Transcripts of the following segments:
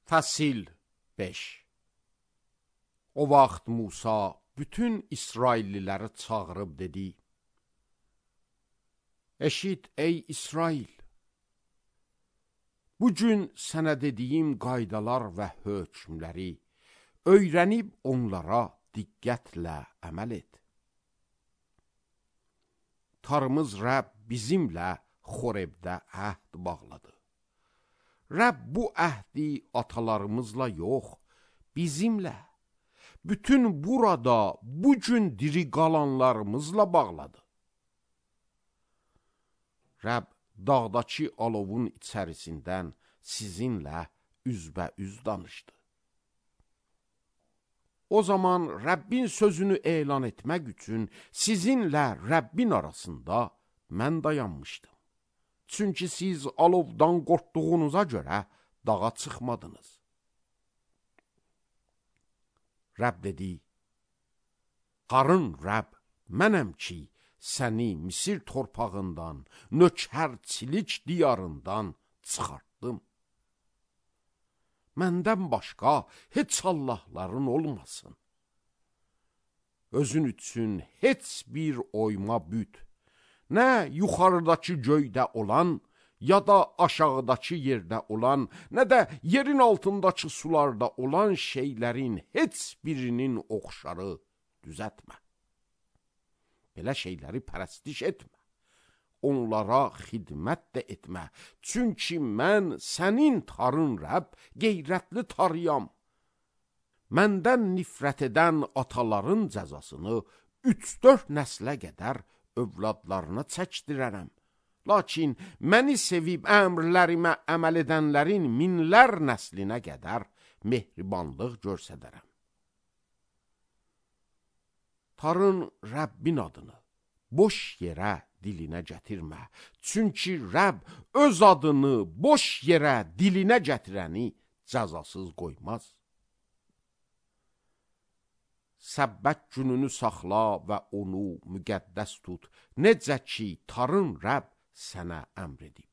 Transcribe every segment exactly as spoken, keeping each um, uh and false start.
Fəsil beş. O vaxt Musa bütün İsrailliləri çağırıb dedi: Eşit ey İsrail, bugün sənə dediyim qaydalar və hökmləri öyrənib onlara diqqətlə əməl et. Tanrımız Rəbb bizimlə Xorebdə əhd bağladı. Rəbb bu əhdi atalarımızla yox, bizimlə, bütün burada bugün diri qalanlarımızla bağladı. Rəbb dağdakı alovun içərisindən sizinlə üzbəüz danışdı. O zaman Rəbbin sözünü elan etmək üçün sizinlə Rəbbin arasında mən dayanmışdım. Çünki siz alovdan qorxduğunuza görə dağa çıxmadınız. Rəbb dedi: Qarın Rəbb, mənəm ki, səni Misir torpağından, nökərçilik diyarından çıxartdım. Məndən başqa heç Allahların olmasın. Özün üçün heç bir oyma büt, nə yuxarıdakı göydə olan, ya da aşağıdakı yerdə olan, nə də yerin altındakı sularda olan şeylərin heç birinin oxşarı düzətmə. Belə şeyləri pərəstiş etmə. Onlara xidmət də etmə. Çünki mən sənin Tanrın Rəbb, qeyrətli Tanrıyam. Məndən nifrət edən ataların cəzasını üç-dörd nəslə qədər övladlarına çəkdirərəm. Lakin məni sevib əmrlərimə əməl edənlərin minlər nəslinə qədər mehribanlıq göstərərəm. Tanrın Rəbbin adını boş yerə dilinə gətirmə. Çünki Rəbb öz adını boş yerə dilinə gətirəni cəzasız qoymaz. Səbbət gününü saxla və onu müqəddəs tut, necə ki, Tanrın Rəbb sənə əmr edib.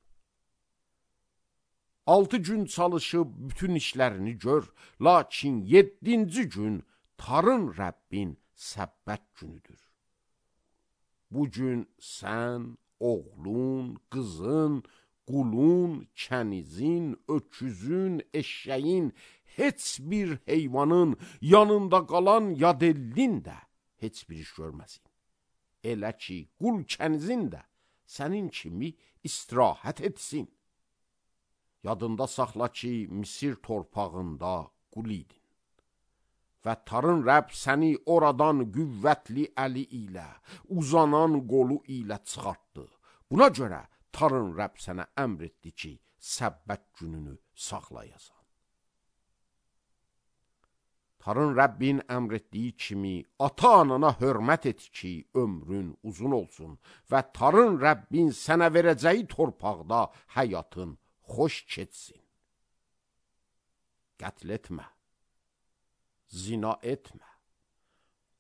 Altı gün çalışıb bütün işlərini gör, lakin yeddinci gün Tanrın Rəbbin səbbət günüdür. Bugün sən, oğlun, qızın, qulun, kənizin, öküzün, eşşəyin, heç bir heyvanın yanında qalan yadellin də heç bir iş görməsin. Elə ki, qul kənizin də sənin kimi istirahət etsin. Yadında saxla ki, Misir torpağında qul idin. Və Tanrın Rəbb səni oradan qüvvətli əli ilə, uzanan qolu ilə çıxartdı. Buna görə Tanrın Rəbb sənə əmr etdi ki, səbbət gününü saxlayasan. Tanrın Rəbbin əmr etdiyi kimi ata-anana hörmət et ki, ömrün uzun olsun və Tanrın Rəbbin sənə verəcəyi torpaqda həyatın xoş keçsin. Qətl etmə. Zina etmə,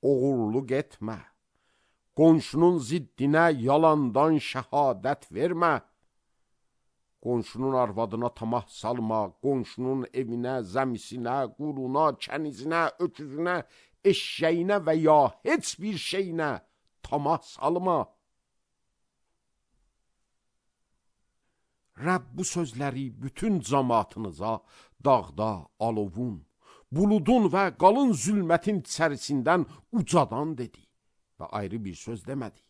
oğurluq etmə, qonşunun ziddinə yalandan şəhadət vermə, qonşunun arvadına tamah salma, qonşunun evinə, zəmisinə, quluna, kənizinə, öküzünə, eşşəyinə və ya heç bir şeyinə tamah salma. Rəbb bu sözləri bütün cəmaatınıza dağda alovun, buludun və qalın zülmətin içərisindən ucadan dedi və ayrı bir söz demədi.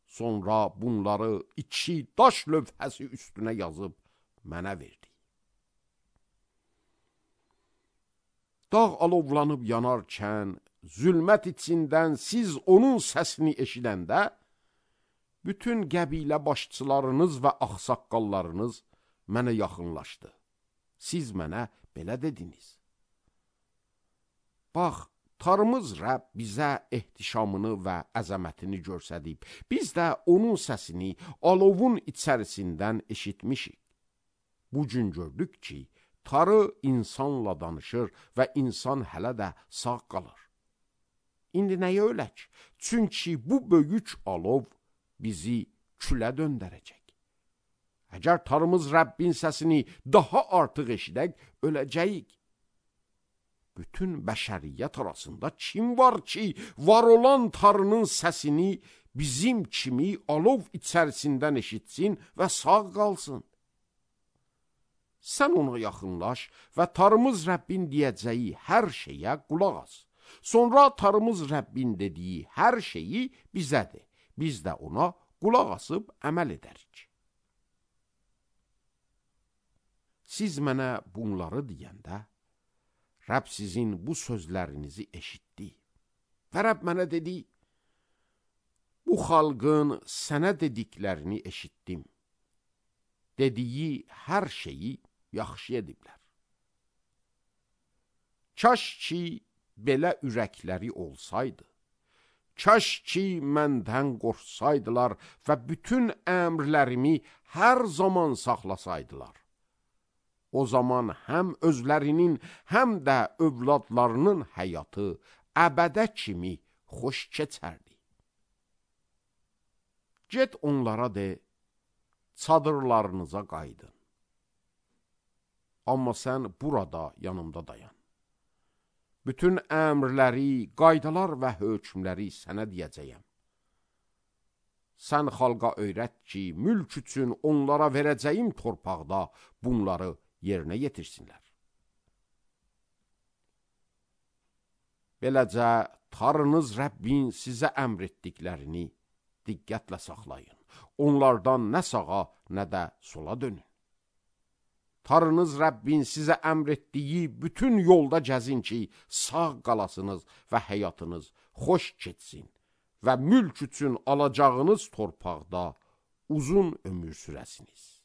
Sonra bunları iki daş lövhəsi üstünə yazıb mənə verdi. Dağ alovlanıb yanarkən, zülmət içindən siz onun səsini eşidəndə, bütün qəbilə başçılarınız və ağsaqqallarınız mənə yaxınlaşdı. Siz mənə belə dediniz: Bax, Tanrımız Rəbb bizə ehtişamını və əzəmətini göstərib. Biz də onun səsini alovun içərisindən eşitmişik. Bugün gördük ki, Tanrı insanla danışır və insan hələ də sağ qalır. İndi nəyə ölək? Çünki bu böyük alov bizi külə döndərəcək. Əgər Tanrımız Rəbbin səsini daha artıq eşidək, öləcəyik. Bütün bəşəriyyət arasında kim var ki, var olan Tanrının səsini bizim kimi alov içərisindən eşitsin və sağ qalsın? Sən ona yaxınlaş və Tanrımız Rəbbin deyəcəyi hər şeyə qulaq as. Sonra Tanrımız Rəbbin dediyi hər şeyi bizədir. Biz də ona qulaq asıb əməl edərik. Siz mənə bunları deyəndə, Rəbb sizin bu sözlərinizi eşitdi. Və Rəbb mənə dedi, bu xalqın sənə dediklərini eşitdim. Dediyi hər şeyi yaxşı ediblər. Kaş ki, belə ürəkləri olsaydı, kaş ki, məndən qorxsaydılar və bütün əmrlərimi hər zaman saxlasaydılar. O zaman həm özlərinin, həm də övladlarının həyatı əbədə kimi xoş keçərdi. Get onlara de, çadırlarınıza qaydın. Amma sən burada yanımda dayan. Bütün əmrləri, qaydalar və hökmləri sənə deyəcəyəm. Sən xalqa öyrət ki, mülk üçün onlara verəcəyim torpaqda bunları yerinə yetirsinlər. Beləcə, Tanrınız Rəbbin sizə əmr etdiklərini diqqətlə saxlayın. Onlardan nə sağa, nə də sola dönün. Tanrınız Rəbbin sizə əmr etdiyi bütün yolda gəzin ki, sağ qalasınız və həyatınız xoş keçsin və mülk üçün alacağınız torpaqda uzun ömür sürəsiniz.